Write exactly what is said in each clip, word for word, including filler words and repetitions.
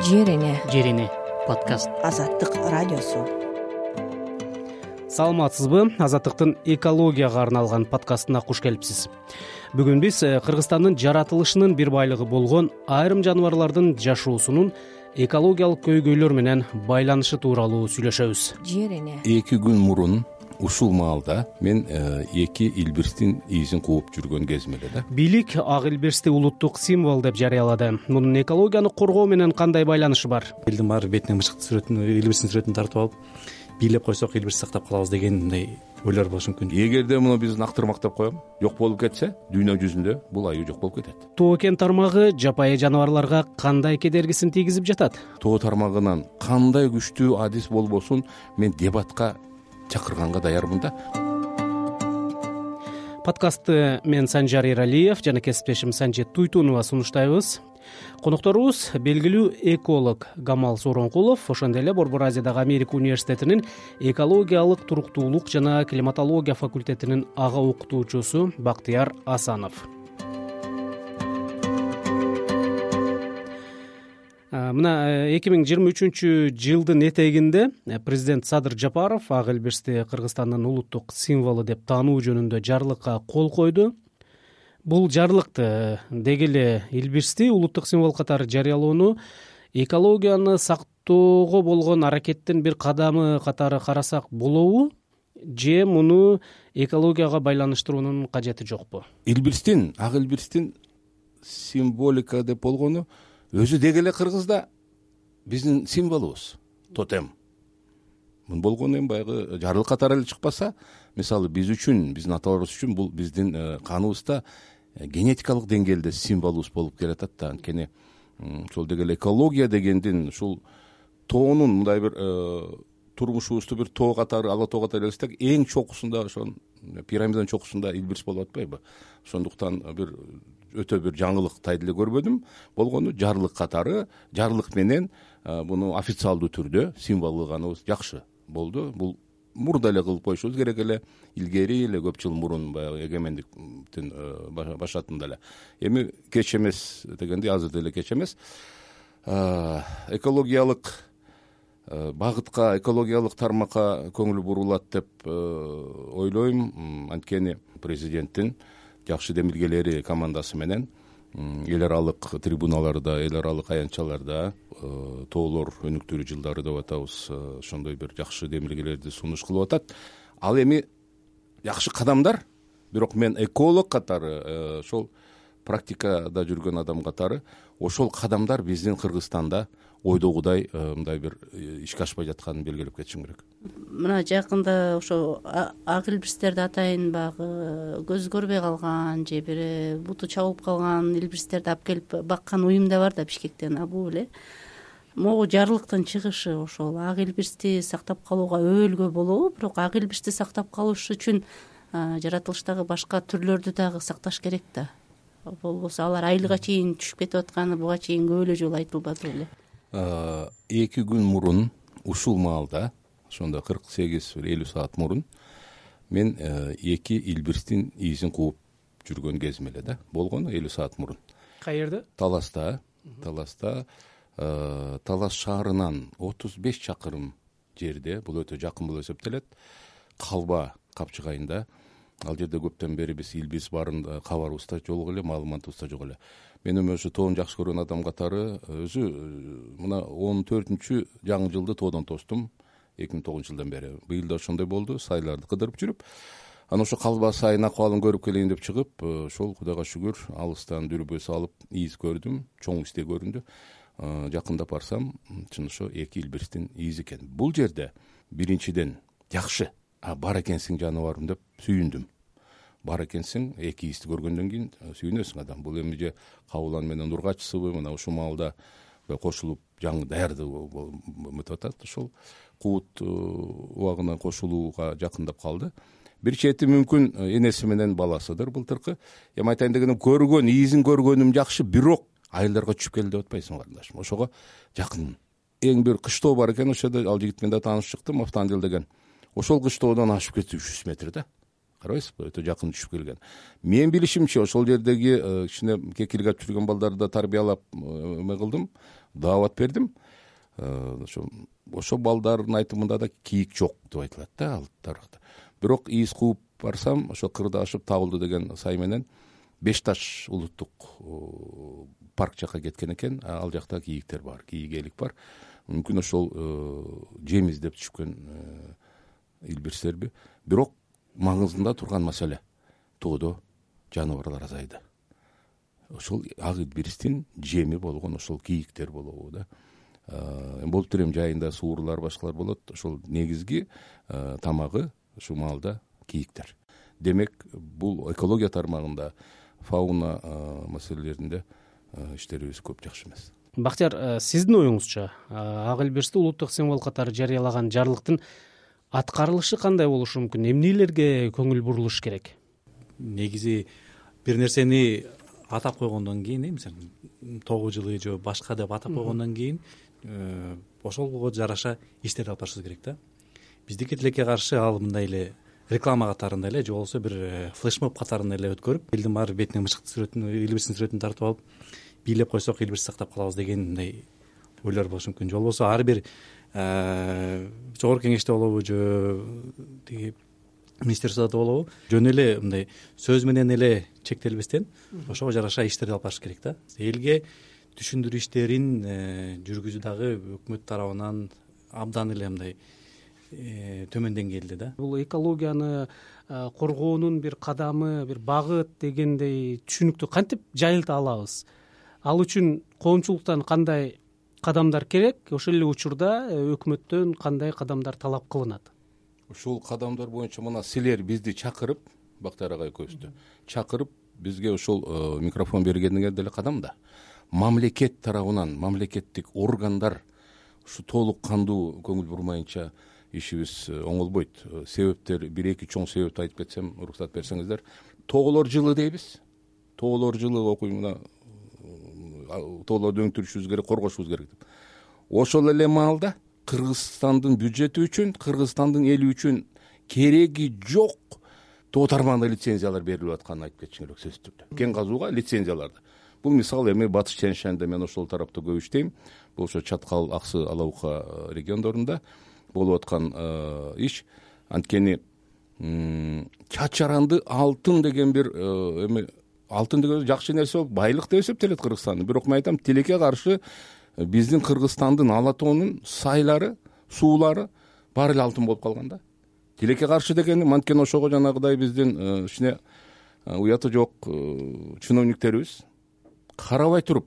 Жерине Жерине подкаст. Азаттык радиосу. Саламатсызбы? Азаттыктын экологияга арналган подкастына куш келипсиз. Бүгүн биз Кыргызстандын жаратылышынын бир байлыгы болгон айрым жаныбарлардын жашоосунун экологиялык көйгөйлөр менен байланышы тууралуу сүйлөшөбүз. Жерине Эки күн мурун ушул маалда мен эки илбирстин изин кууп жүргөн кезим эле да. Бийлик ак илбирсти улуттук символ деп жарыялады. Мунун экологияны коргоо менен кандай байланышы бар? Элдин баары бетине мышыктын сүрөтүн, илбирстин сүрөтүн тартып алып, бийлеп койсок илбирсти сактап калабыз деген мындай ойлор болушу мүмкүн. Эгерде муну биз нактырмактап коем, жок болуп кетсе, дүйнө жүзүндө бул аюу жок болуп кетет. Тоо кен тармагы жапайы жаныбарларга кандай кедергисин тийгизип жатат? Тоо тармагынан кандай күчтүү адис болбосун мен дебатка чакырганга даярмын да. Подкастты мен Санжар Эралиев жана кесиптешим Санжет Туйтунова сунуштайбыз. Конокторубуз белгилүү эколог Гамал Сооронкулов, ошондой эле Борбор Азиядагы Америка университетинин экологиялык туруктуулук жана климатология факультетинин ага окутуучусу Бактыяр Асанов. Мына эки миң жыйырма үчүнчү жылдын этегинде президент Садыр Жапаров ак илбирсти Кыргызстандын улуттук символу деп таануу жөнүндө жарлыкка кол койду. Бул жарлыкты деги эле илбирсти улуттук символ катары жарыялоону экологияны сактоого болгон аракеттин бир кадамы катары карасак болобу, же муну экологияга байланыштыруунун кажети жокпу? Илбирстин, ак илбирстин символика деп болгону өзү деги эле Кыргызда биздин символубуз, тотем. Мун болгону эми баягы жарлык катары эле чыкпаса, мисалы биз үчүн, биздин аталарыбыз үчүн бул биздин каныбызда генетикалык деңгээлде символубуз болуп келатат да. Анткени ошол деги эле экология дегендин ушул тоонун мындай бир турмушубузду бир тоо катары, ала тоо катары элестетсек, эң чокусунда ошон пирамиданын чокусунда илбирс болуп атпайбы? Ошондуктан бир өтө бир жаңылык тайды эле көрбөдүм. Болгону жарлык катары, жарлык менен муну официалдуу түрдө символдоганыбыз жакшы болду. Бул мурда эле кылып коюшубуз керек эле, илгери эле көп жыл мурун баягы эгемендиктин башатында эле. Эми кеч эмес дегенде азыр деле кеч эмес. Экологиялык багытка, экологиялык тармакка көңүл бурулат деп ойлойм. Анткени президенттин жакшы демилгелери командасы менен эл аралык трибуналарда, эл аралык аянтчаларда тоолор өнүктүрүү жылдары деп атабыз, ошондой бир жакшы демилгелерди сунуш кылып атат. Ал эми жакшы кадамдар, бирок мен эколог катары, ошол практикада жүргөн адам катары, ошол кадамдар биздин Кыргызстанда ойдогудай мындай бир ишке ашпай жатканын белгилеп кетишим керек. Мына жакында ошо ак илбирстерди атайын баягы көз көрбөй калган же бир буту чабылып калган илбирстерди алып келип баккан уюм да бар да Бишкектен. А бул эле могу жарлыктын чыгышы ошол ак илбирсти сактап калууга өбөлгө болобу, бирок ак илбирсти сактап калыш үчүн жаратылыштагы башка түрлөрдү дагы сакташ керек да. Болбосо алар айылга чейин түшүп кетип атканы буга чейин көп эле жолу айтылбады беле. Эки күн мурун ушул маалда, ошондо кырк сегиз элүү саат мурун мен эки илбирстин изин кууп жүргөн кезим эле да. Болгону элүү саат мурун. Каерде? Таласта. Таласта Талас шаарынан отуз беш чакырым жерде, бул өтө жакын болуп эсептелет, Калба капчыгайында. Ал жерде көптөн бери биз илбирс барын кабарыбыз да жок эле, маалыматыбыз да жок эле. Мен эми ошо тоон жакшы көргөн адам катары өзү мына он төртүнчү жаңы жылды тоодон тостум эки миң тогузунчу жылдан бери. Быйыл да ошондой болду, сайларды кыдырып жүрүп, анан ошо Калба сайын акыбалын көрүп келейин деп чыгып, ошол Кудайга шүгүр алыстан дүрбө салып из көрдүм, чоң изде көрүндү. Жакындап барсам, чын ошо эки илбирстин изи экен. Бул жерде биринчиден жакшы, а бар экенсиң жаныбарым деп сүйүндүм. Бар экенсиң, эки изди көргөндөн кийин сүйүнөсүң адам. Бул эми же Кабылан менен Ургачсыбы, мына ушул маалда кошулуп жаңы даярдык өтүп атат. Ошол куут убагына кошулууга жакындап калды. Бир чети мүмкүн энеси менен баласыдыр былтыркы. Эми айтайын дегеним, көргөн, изин көргөнүм жакшы, бирок айылдарга түшүп келди деп атпайсың карындашым. Ошого жакын. Эң бир кыштоо бар экен, ошол жерде ал жигит менен да таанышып чыктым, Автандил деген. Ошол кыштоодон ашып кетти үч жүз метр да. карабайсызбы, өтө жакын түшүп келген. Менин билишимче ошол жердеги кичине кекилге алып жүргөн балдарды тарбиялап эме кылдым, даават бердим. Ошо ошо балдардын айтымында да кийик жок деп айтылат да ал тарыхта. Бирок ийиз кууп барсам, ошо кырда ашып табылды деген сай менен Беш Таш улуттук парк жака кеткен экен. Ал жакта кийиктер бар, кийик элик бар. Мүмкүн ошол жем издеп түшкөн илбирстерби. Бирок маңызында турган маселе тоодо жаныбарлар азайды. Ошол ак илбирстин жеми болгон ошол кийиктер болобу да. Болуп тур эми жайында суурлар башкалар болот. Ошол негизги тамагы ушул маалда кийиктер. Демек, бул экология тармагында, фауна маселелеринде иштерибиз көп жакшы эмес. Бактияр, сиздин оюңузча ак илбирсти улуттук символ катары жарыялаган жарлыктын аткарылышы кандай болушу мүмкүн? Эмнелерге көңүл бурулуш керек? Негизи бир нерсени атап койгондон кийин, мисалы тогуз жылы же башка деп атап койгондон кийин ошолго жараша иштерди алып барышыбыз керек да. Биздики тилекке каршы ал мындай эле реклама катарында эле же болбосо бир флешмоб катарында эле өткөрүп, элдин баары бетине мышыктын сүрөтүн, илбирстин сүрөтүн тартып алып, бийлеп койсок илбирсти сактап калабыз деген мындай ойлор болушу мүмкүн. Же болбосо ар бир жогорку кеңеште болобу же тиги министерстводо болобу, жөн эле мындай сөз менен эле чектелбестен ошого жараша иштерди алып барыш керек да. Элге түшүндүрүү иштерин жүргүзүү дагы өкмөт тарабынан абдан эле мындай төмөн деңгээлде да. Бул экологияны коргоонун бир кадамы, бир багыт дегендей түшүнүктү кантип жайылта алабыз? Ал үчүн коомчулуктан кандай кадамдар керек? Ошол эле учурда өкмөттөн кандай кадамдар талап кылынат? Ушул кадамдар боюнча мына силер бизди чакырып, Бактар агай көбүстү чакырып, бизге ошол микрофон бергениңер деле кадам да. Мамлекет тарабынан, мамлекеттик органдар ушу толук кандуу көңүл бурмайынча ишибиз оңолбойт. Себептер, бир эки чоң себепти айтып кетсем, уруксат берсеңиздер. Тоолор жылы дейбиз. Тоолор жылы окуй мына тоолорду өңтүрүшүбүз керек, коргошубуз керек деп. Ошол эле маалда Кыргызстандын бюджети үчүн, Кыргызстандын эли үчүн кереги жок тоо тармагына лицензиялар берилип атканын айтып кетишиң керек сөзсүз түрдө. Кен казууга лицензияларды. Бул мисал эми Батыш Чен-Шаньда мен ошол тарапта көп иштейм. Бул ошо Чаткал, Аксы, Алабука региондорунда болуп аткан иш. Анткени чачаранды алтын деген бир эми алтын деген жакшы нерсе болуп, байлык деп эсептелет Кыргызстандын. Бирок мен айтам, тилекке каршы биздин Кыргызстандын ала тоонун сайлары, суулары баары эле алтын болуп калган да. Тилекке каршы дегени манткени ошого жанагыдай биздин ичине уяты жок чиновниктерибиз карабай туруп,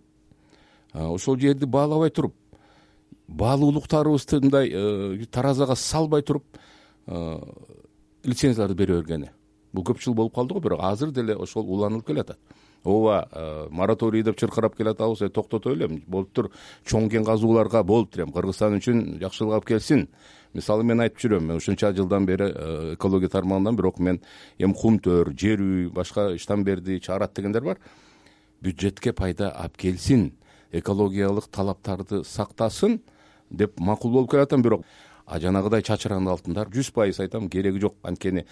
ошол жерди баалабай туруп, баалуулуктарыбызды мындай таразага салбай туруп лицензияларды бере бергени. Бул көп жыл болуп калды го, бирок азыр деле ошол уланылып келатат. Ооба, мораторий деп чыркырап келатабыз, токтото эле. Болуптур, чоң кен казууларга болуптур эми Кыргызстан үчүн жакшылык алып келсин. Мисалы мен айтып жүрөм, мен ушунча жылдан бери экология тармагынан, бирок мен эми кум төр, жер үй, башка иштан берди, чаарат дегендер бар. Бюджетке пайда алып келсин, экологиялык талаптарды сактасын деп макул болуп келатам, бирок а жанагыдай чачыранды алтындар жүз пайыз айтам, кереги жок. Анткени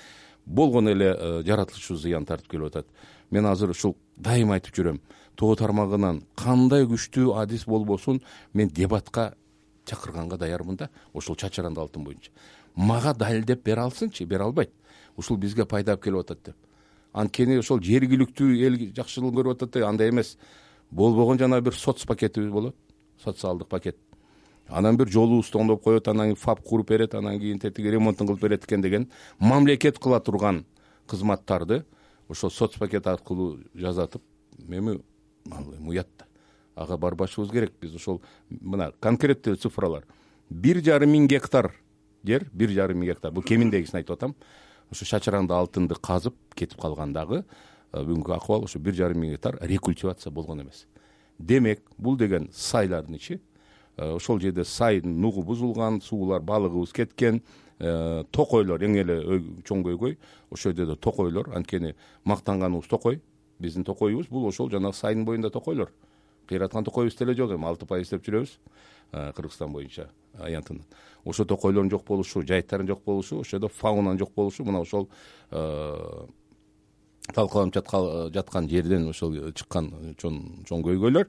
болгон эле жаратылышы зыян тартып келип атат. Мен азыр ушул дайыма айтып жүрөм, тоо тармагынан кандай күчтүү адис болбосун, мен дебатка чакырганга даярмын да, ошол чачыранды алтын боюнча. Мага далилдеп бере алсынчы, бере албайт. Ушул бизге пайда алып келип атат деп. Анткени ошол жергиликтүү эл жакшылыгын көрүп атат да, андай эмес. Болбогон жана бир соц пакетибиз болот, социалдык пакет. Анан бир жолубузду оңдоп коет, анан кийин ФАП куруп берет, анан кийин тетиги ремонтун кылып берет экен деген мамлекет кыла турган кызматтарды ошол соц пакет аркылуу жазатып, эми уят да. Ага барбашыбыз керек. Биз ошол мына конкреттүү цифралар. бир жарым миң гектар жер, бир жарым миң гектар. Бул кеминдегисин айтып атам. Ошо чачыранды алтынды казып кетип калгандагы бүгүнкү акыбал ошо бир жарым миң гектар рекультивация болгон эмес. Демек, бул деген сайлардын ичи. Ошол жерде сайдын нугу бузулган, суулар, балыгыбыз кеткен, токойлор, эң эле чоң көйгөй ошол жерде токойлор. Анткени мактанганыбыз токой, биздин токойубуз бул ошол жана сайдын боюнда токойлор. кыйраткан токойубуз деле жок, эми алты пайыз деп жүрөбүз Кыргызстан боюнча аянтынын. Ошо токойлордун жок болушу, жайыттардын жок болушу, ошодо фаунанын жок болушу мына ошол талкаланып жаткан жерден ошол чыккан чоң чоң көйгөйлөр.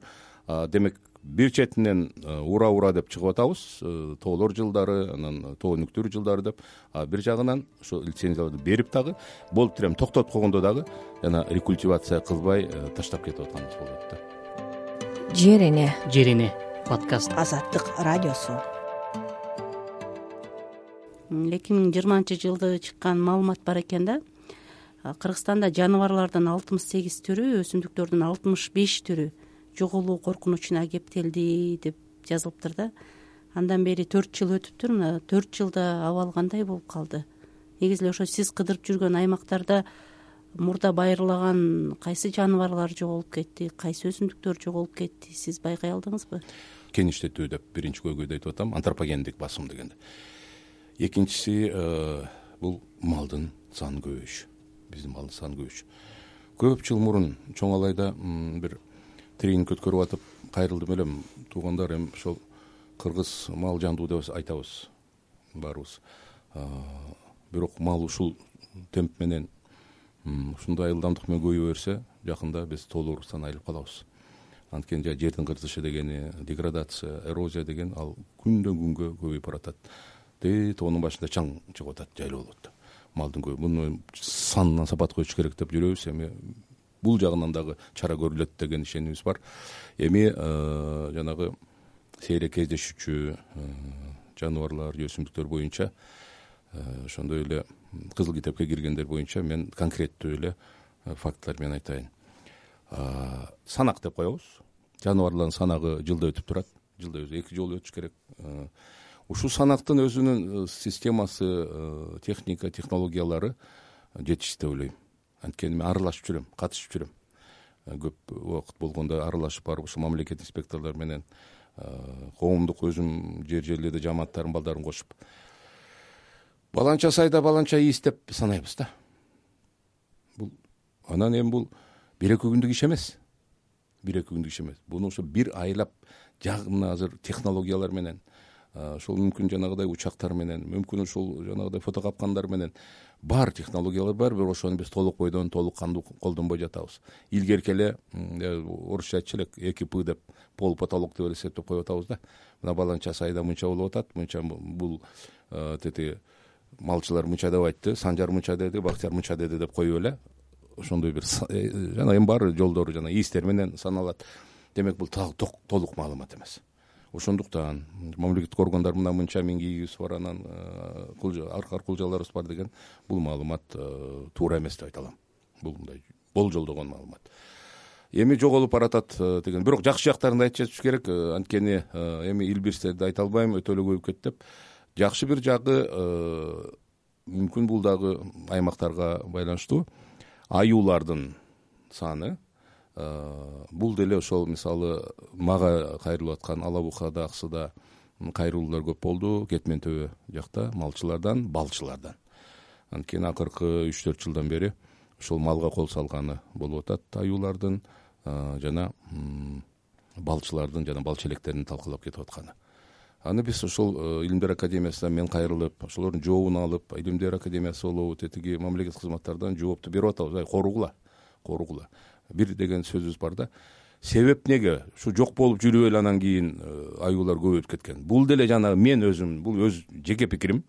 Демек бир четинен ура ура деп чыгып атабыз, тоолор жылдары, анан тоо өнүктүрүү жылдары деп, а бир жагынан ошо лицензияларды берип дагы болуп туруп токтотуп койгондо дагы жана рекультивация кылбай таштап кетип атканыбыз болот да. Жер эне Жер эне подкаст. Азаттык радиосу. эки миң жыйырманчы жылды чыккан маалымат бар экен да. Кыргызстанда жаныбарлардын алтымыш сегиз түрү, өсүмдүктөрдүн алтымыш беш түрү жоголуу коркунучуна кептелди деп жазылыптыр да. Андан бери төрт жыл өтүптүр. Мына төрт жылда абал кандай болуп калды? Негизи эле ошо сиз кыдырып жүргөн аймактарда мурда байырлаган кайсы жаныбарлар жоголуп кетти, кайсы өсүмдүктөр жоголуп кетти, сиз байкай алдыңызбы? Кеңиштетүү деп биринчи көйгөйдү айтып атам, антропогендик басым дегенде. Экинчиси бул малдын саны көбөйүшү. Биздин малдын саны көбөйүшү. Көп жыл мурун чоң алайда бир тренинг өткөрүп атып кайрылдым элем. Туугандар, эми ошол кыргыз мал жандуу деп айтабыз баарыбыз. Бирок мал ушул темп менен, ушундай ылдамдык менен көбөйө берсе, жакында биз тоолорубуздан айрылып калабыз. Анткени жердин кыртышы дегени, деградация, эрозия деген ал күндөн күнгө көбөйүп баратат. Де тоонун башында чаң чыгып атат, жайлуу болот. Малдын көбү муну санынан сапат коюш керек деп жүрөбүз. Эми бул жагынан дагы чара көрүлөт деген ишенимибиз бар. Эми жанагы сейрек кездешүүчү жаныбарлар, өсүмдүктөр боюнча ошондой эле кызыл китепке киргендер боюнча мен конкреттүү эле фактылар менен айтайын. Санак деп коебуз. Жаныбарлардын санагы жылда өтүп турат. Жылда өзү эки жолу өтүш керек. Ушул санактын өзүнүн системасы, техника, технологиялары жетишти деп ойлойм. Анткени мен аралашып жүрөм, катышып жүрөм. Көп убакыт болгондо аралашып барып, ушул мамлекет инспекторлор менен коомдук өзүм жер жерлерде жамааттардын балдарын кошуп баланча сайда баланча ийис деп санайбыз да. Бул анан эми бул бир эки күндүк иш эмес. Бир эки күндүк иш эмес. Буну ошо бир айлап жагына азыр технологиялар менен, ошол мүмкүн жанагыдай учактар менен, мүмкүн ушул жанагыдай фотокапкандар менен бар технологиялар бар, бирок ошону биз толук бойдон толук кандуу колдонбой жатабыз. Илгерки эле орусча айтчу элек эки пы деп пол потолок деп эсептеп коюп атабыз да. Мына баланча сайда мынча болуп атат, мынча бул тети малчылар мынча деп айтты, Санжар мынча деди, Бактияр мынча деди деп коюп эле ошондой бир жана эми бар жолдору жана ийистер менен саналат. Демек бул толук маалымат эмес. Ошондуктан мамлекеттик органдар мына мынча миң кийигибиз бар, анан аркар кулжаларыбыз бар деген бул маалымат туура эмес деп айта алам. Бул мындай болжолдогон маалымат. Эми жоголуп баратат деген. Бирок жакшы жактарын да айтып жатыш керек. Анткени эми илбирстерди айта албайм, өтө эле көбөйүп кетти деп. Жакшы бир жагы мүмкүн бул дагы аймактарга байланыштуу. Аюулардын саны бул деле ошол мисалы мага кайрылып аткан Ала Букада, Аксыда кайрылуулар көп болду. Кетмен төбө жакта малчылардан, балчылардан. Анткени акыркы үч төрт жылдан бери ошол малга кол салганы болуп атат. Аюулардын жана балчылардын жана балчелектердин талкалап кетип атканы. Аны биз ошол Илимдер академиясынан мен кайрылып, ошолордун жообун алып, Илимдер академиясы болобу, тетиги мамлекеттик кызматтардан жоопту берип атабыз. Ай коругула, коругула. Бир деген сөзүбүз бар да. Себеп неге? Ушу жок болуп жүрүп эле анан кийин аюулар көбөйүп кеткен. Бул деле жана мен өзүм, бул өз жеке пикирим.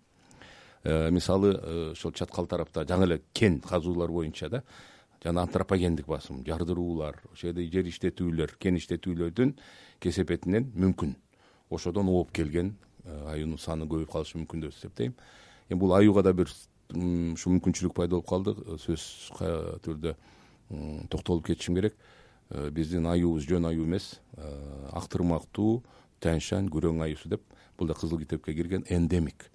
Мисалы ошол чаткал тарапта жаңы эле кен казуулар боюнча да, жана антропогендик басым, жардыруулар, ошол жерде жер иштетүүлөр, кен иштетүүлөрдүн кесепетинен мүмкүн ошодон ооп келген аюунун саны көбөйүп калышы мүмкүн деп эсептейм. Эми бул аюуга да бир ушу мүмкүнчүлүк пайда болуп калды. Сөз түрдө токтолуп кетишим керек. Биздин аюубуз жөн аюу эмес, актырмактуу, тянь-шань, күрөң аюусу деп. Бул да кызыл китепке кирген эндемик.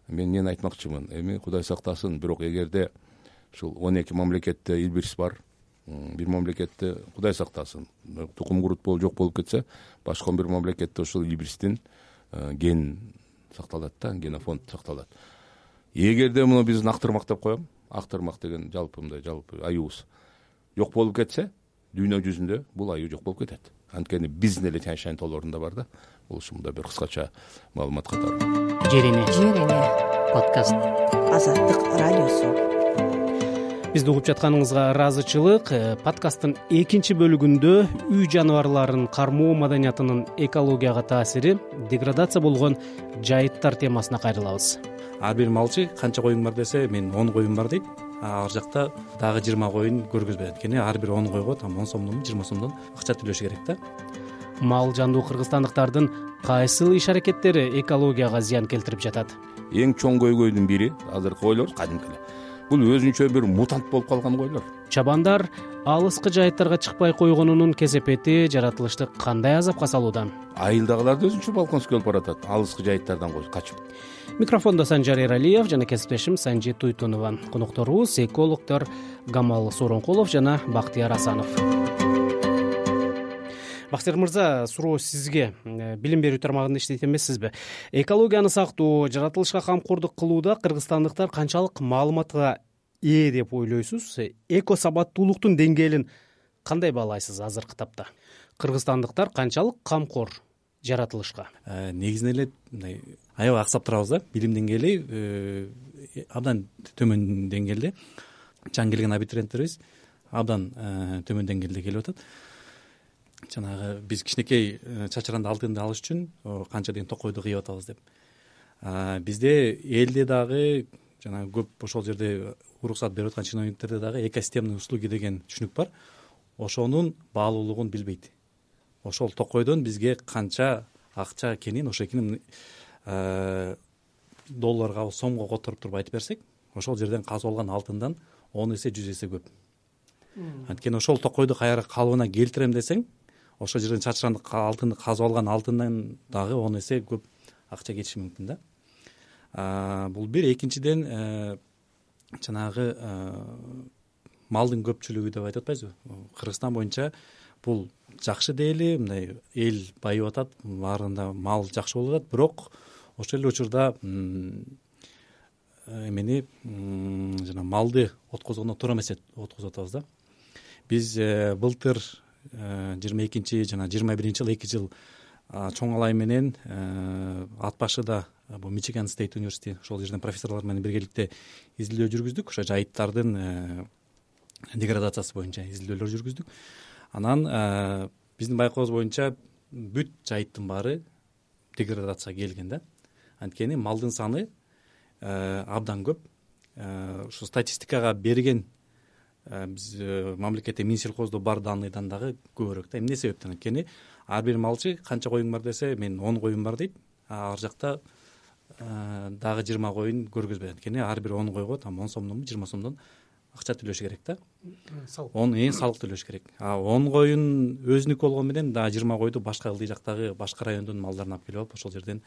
Мен эмнени айтмакчымын? Эми Кудай сактасын, бирок эгерде ушул он эки мамлекетте илбирс бар, бир мамлекетте Кудай сактасын, тукум курут болуп жок болуп кетсе, башка бир мамлекетте ошол илбирстин ген сакталат да, генофонд сакталат. Эгерде муну биздин актырмак деп коем, актырмак деген жалпы мындай жалпы аюубуз жок болуп кетсе, дүйнө жүзүндө бул аюу жок болуп кетет. анткени биздин эле тянь-шань тоолорунда бар да. Бул ушундай бир кыскача маалымат катары. Жер эне жер эне подкаст Азаттык радиосу. бизди угуп жатканыңызга ыраазычылык. Подкасттын экинчи бөлүгүндө үй жаныбарларын кармоо маданиятынын экологияга таасири, деградация болгон жайыттар темасына кайрылабыз. Ар бир малчы канча коюң бар десе, мен он коюм бар дейт. Ар жакта дагы жыйырма коюн көргөзбөйт. Анткени ар бир он койго там он сомдон жыйырма сомдон акча төлөш керек да. Мал жандуу кыргызстандыктардын кайсыл иш-аракеттери экологияга зыян келтирип жатат? Эң чоң көйгөйдүн бири азыркы койлор кадимки эле. Бул өзүнчө бир мутант болуп калган койлор. Чабандар алыскы жайыттарга чыкпай койгонунун кесепети жаратылышты кандай азапка салууда? Айылдагылар да өзүнчө балконско келип баратат, алыскы жайыттардан качып. Микрофондо Санжар Эралиев жана кесиптешим Санжи Туйтунова. Конокторубуз экологдор Гамал Сооронкулов жана Бактияр Асанов. Бактияр мырза, суроо сизге. Билим берүү тармагында иштейт эмессизби? Экологияны сактоо, жаратылышка камкордук кылууда кыргызстандыктар канчалык маалыматка ээ деп ойлойсуз? Эко сабаттуулуктун деңгээлин кандай баалайсыз азыркы тапта? Кыргызстандыктар канчалык камкор жаратылышка? Негизинен эле мындай аябай аксап турабыз да. Билим деңгээли абдан төмөн деңгээлде. Жаңы келген абитуриенттерибиз абдан төмөн деңгээлде келип атат. Жанагы биз кичинекей чачыранды алтынды алыш үчүн канча деген токойду кыйып атабыз деп. Бизде элде дагы жанагы көп ошол жерде уруксат берип аткан чиновниктерде дагы экосистемный услуги деген түшүнүк бар. Ошонун баалуулугун билбейт. Ошол токойдон бизге канча акча экенин, ошо экенин долларга, сомго которуп туруп айтып берсек, ошол жерден казып алган алтындан он эсе, жүз эсе көп. Анткени ошол токойду кайра калыбына келтирем десең, ошол жерден чачыранды алтынды казып алган алтындан дагы он эсе көп акча кетиши мүмкүн да. Бул бир. Экинчиден жанагы малдын көпчүлүгү деп айтып атпайбызбы? Кыргызстан боюнча бул жакшы дейли, мындай эл байып атат, баарында мал жакшы болуп атат, бирок ошол эле учурда эмени жана малды откозгондо туура эмес откозуп атабыз да. Биз былтыр жыйырма экинчи жана жыйырма биринчи жыл эки жыл чоң алай менен ат башыда бул Мичиган Стейт университети, ошол жерден профессорлор менен биргеликте изилдөө жүргүздүк. Ошо жайыттардын деградациясы боюнча изилдөөлөр жүргүздүк. Анан биздин байкообуз боюнча бүт жайыттын баары деградацияга келген да. Анткени малдын саны абдан көп. Ушу статистикага берген биз мамлекетте Минсельхоздо бар данныйдан дагы көбүрөөк да. Эмне себептен? Анткени ар бир малчы канча коюң бар десе, мен он коюм бар дейт. Ар жакта дагы жыйырма коюн көргөзбөйт. Анткени ар бир он койго там он сомдон, жыйырма сомдон акча төлөш керек да. он эң салык төлөш керек. А он коюн өзүнүкү болгон менен дагы жыйырма койду башка ылдый жактагы башка райондун малдарын алып келип алып ошол жерден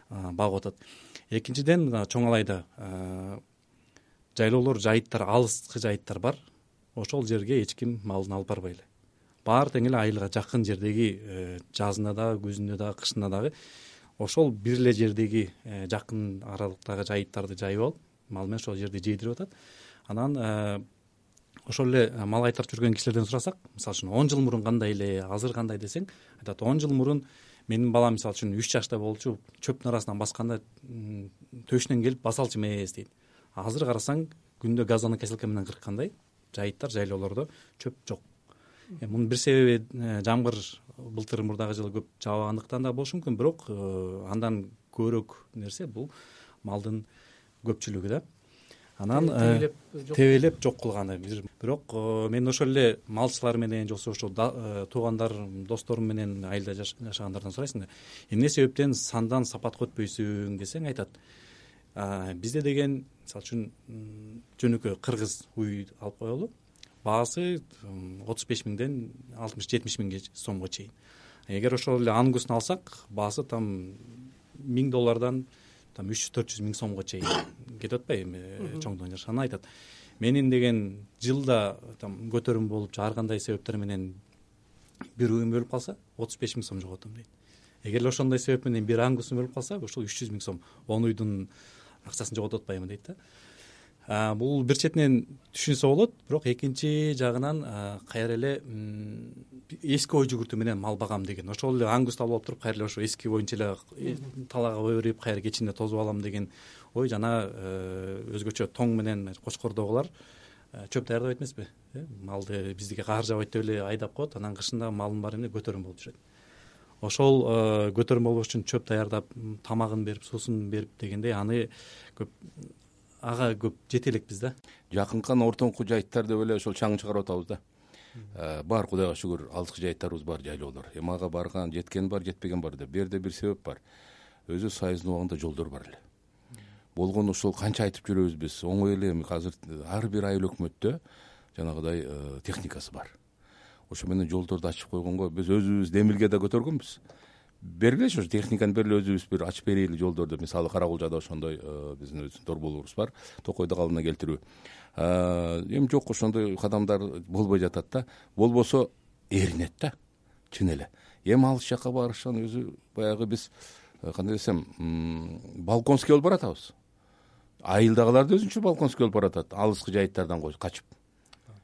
багып атат. Экинчиден, чоң алайда жайлоолор, жайыттар, алыскы жайыттар бар. Ошол жерге эч ким малын алып барбай эле. Баары тең эле айылга жакын жердеги жазында дагы, күзүндө дагы, кышында дагы ошол бир эле жердеги жакын аралыктагы жайыттарды жайып алып, мал менен ошол жерди жейдирип атат. Анан ошол эле мал кайтарып жүргөн кишилерден сурасак, мисалы үчүн он жыл мурун кандай эле, азыр кандай десең, айтат он жыл мурун менин балам мисалы үчүн үч жашта болчу, чөптүн арасынан басканда төшүнөн келип басалчы эмес дейт. Азыр карасаң, күндө газонный косилка менен кырккандай жайыттар, жайлоолордо чөп жок. Мунун бир себеби жамгыр былтыр мурдагы жылы көп жаабагандыктан да болушу мүмкүн, бирок андан көбүрөөк нерсе бул малдын көпчүлүгү да. Анан тебелеп жок кылганы. Бирок мен ошол эле малчылар менен же ошо туугандар, досторум менен айылда жашагандардан сурайсың да, эмне себептен сандан сапатка өтпөйсүң десең, айтат, бизде деген мисалы үчүн жөнөкөй кыргыз уй алып коелу, баасы отуз беш миңден алтымыш жетимиш миңге сомго чейин. Эгер ошол эле ангусун алсак, баасы там миң доллардан там үч жүз төрт жүз миң сомго чейин кетип атпайбы чоңдон жашаган. Айтат, менин деген жылда там көтөрүм болуп, ар кандай себептер менен бир уйум өлүп калса, отуз беш миң сом жоготом дейт. Эгер ошондой себеп менен бир ангусум өлүп калса, ошол үч жүз миң сом, он уйдун акчасын жоготуп атпайбы дейт да. бул бир четинен түшүнсө болот, бирок экинчи жагынан кайра эле эски ой жүгүртүү менен мал багам деген, ошол эле ангусту алып алып туруп кайра эле ошо эски боюнча эле талаага берип кайра кечинде тосуп алам деген ой жана өзгөчө тоң менен Кочкордогулар чөп даярдабайт эмеспи, малды биздики каар жабайт деп эле айдап коет, анан кышында малдын баары эмне көтөрүм болуп жүрөт. Ошол көтөрүм болбош үчүн чөп даярдап, тамагын берип, суусун берип дегендей аны көп ага көп жете элекпиз да. Жакынкан ортоңку жайыттар деп эле ошол чаң чыгарып атабыз да. Бар, Кудайга шүгүр, алыскы жайыттарыбыз бар, жайлоолор. Эми ага барган, жеткен бар, жетпеген бар деп. Бул жерде бир себеп бар. Өзү сайыздын убагында жолдор бар эле. Болгону ошол канча айтып жүрөбүз биз. Оңой эле эми азыр ар бир айыл өкмөттө жанагыдай техникасы бар. Ошо менен жолдорду ачып койгонго биз өзүбүз демилге да көтөргөнбүз. Бергилечи ошо техниканы бергиле, өзүбүз бир ачып берели жолдорду. Мисалы Каракулжада ошондой биздин өзүбүздүн дорболорубуз бар. Токойду калыбына келтирүү. Эми жок, ошондой кадамдар болбой жатат да. Болбосо эринет да. Чын эле. Эми алыс жакка барышан өзү баягы биз кандай десем, балконский болуп баратабыз. Айылдагылар да өзүнчө балконский болуп баратат, алыскы жайыттардан качып.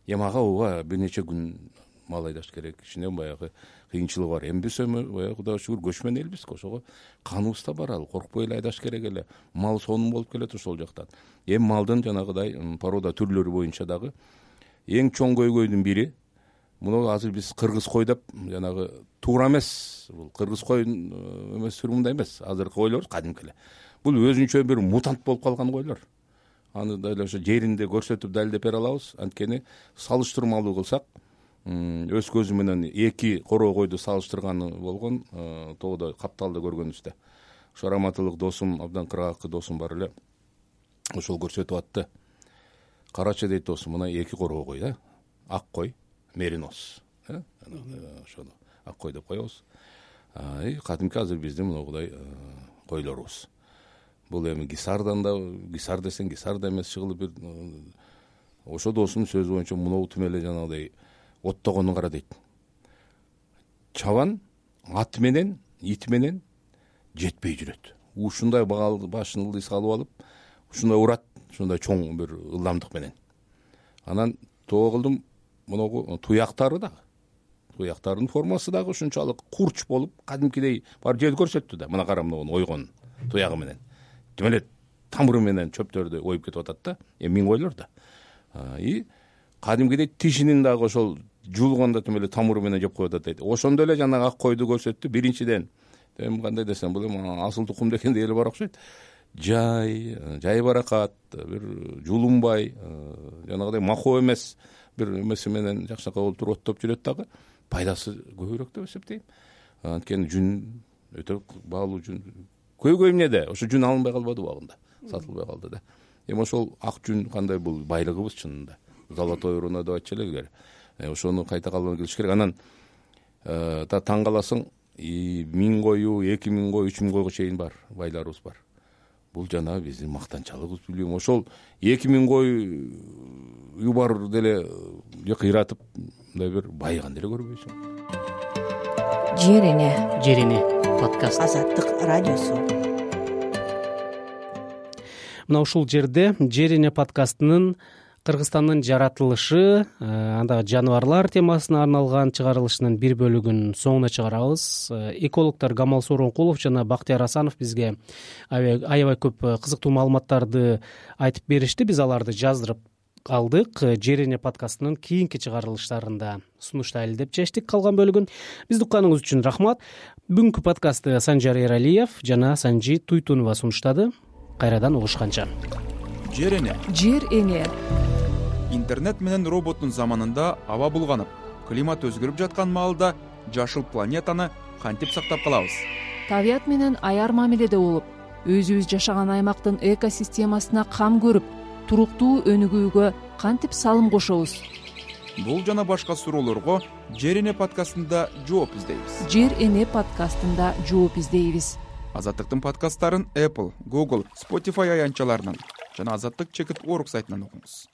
Эми ага ооба бир нече күн мал айдаш керек, ичинен баягы кыйынчылыгы бар. Эми биз эми баягы Кудайга шүгүр көчмөн элбиз, ошого каныбызда бар, ал коркпой эле айдаш керек эле. Мал сонун болуп келет ошол жактан. Эми малдын жанагыдай порода түрлөрү боюнча дагы эң чоң көйгөйдүн бири, муну азыр биз кыргыз кой деп жанагы туура эмес, бул кыргыз кой эмес, мындай эмес, азыркы койлор кадимки эле. Бул өзүнчө бир мутант болуп калган койлор. Аны да эле ошо жеринде көрсөтүп далилдеп бере алабыз. Анткени салыштырмалуу кылсак, өз көзү менен эки короо койду салыштырганы болгон тоодо Капталда көргөнүбүздө. Ошо раматылык досум, абдан кыргакы досум бар эле. Ошол көрсөтүп атты. Карачы дейт досум, мына эки короо кой да. Ак кой, меринос. Ошону ак кой деп коебуз. Кадимки азыр биздин мынагудай койлорубуз. Бул эми Гисардан да, Гисар десең Гисар да эмес, чыгылып бир ошо досумдун сөзү боюнча мынау тим эле жанагыдай оттогонун кара дейт. Чабан ат менен, ит менен жетпей жүрөт. Ушундай башын ылдый салып алып, ушундай урат, ушундай чоң бир ылдамдык менен. Анан тоо кылдым, мынагу туяктары дагы. Туяктарынын формасы дагы ушунчалык курч болуп, кадимкидей бар жел көрсөттү да. Мына кара мынагу ойгон туягы менен. Тим эле тамыры менен чөптөрдү оюп кетип атат да. Эми миң ойлор да. И кадимкидей тишинин дагы ошол жуулганда тим эле тамыры менен жеп коюп атат дейт. Ошондо эле жанагы ак койду көрсөттү. Биринчиден, эми кандай десем, бул эми асыл тукум дегендей эле бар окшойт. Жай, жай баракат, бир жулунбай, жанагыдай махоо эмес, бир эмеси менен жакшынакай болуп туруп оттоп жүрөт дагы. Пайдасы көбүрөөк деп эсептейм. Анткени жүн өтө баалуу жүн. Көйгөй эмнеде? Ошо жүн алынбай калбады убагында. Сатылбай калды да. Эми ошол ак жүн кандай, бул байлыгыбыз чынында. Золотой руна деп айтчу эле. Ошону кайта калыбына келиш керек. Анан та таң каласың, миң кою, эки миң кой, үч миң койго чейин бар, байларыбыз бар. Бул жана биздин мактанчалыбыз, билем. Ошол эки миң кою бар деле кыйратып, мындай бир байыган деле көрбөйсүң. Жер эне, Жер эне подкаст. Азаттык радиосу. Мына ушул жерде Жер эне подкастынын Кыргызстандын жаратылышы, андагы жаныбарлар темасына арналган чыгарылышынын бир бөлүгүн соңуна чыгарабыз. Экологдор Гамал Сооронкулов жана Бактияр Асанов бизге аябай көп кызыктуу маалыматтарды айтып беришти. Биз аларды жаздырып алдык. Жер эне подкастынын кийинки чыгарылыштарында сунуштайлы деп чечтик калган бөлүгүн. Бизди укканыңыз үчүн рахмат. Бүгүнкү подкастты Санжар Эралиев жана Санжи Туйтунова сунуштады. Кайрадан угушканча. Жер эне. Жер эне. Интернет менен роботтун заманында аба булганып, климат өзгөрүп жаткан маалда жашыл планетаны кантип сактап калабыз? Табият менен аяр мамиледе болуп, өзүбүз жашаган аймактын экосистемасына кам көрүп, туруктуу өнүгүүгө кантип салым кошобуз? Бул жана башка суроолорго Жер эне подкастында жооп издейбиз. Жер эне подкастында жооп издейбиз. Азаттыктын подкасттарын Apple, Google, Spotify аянтчаларынан жана Азаттык чекит орг сайтынан окуңуз.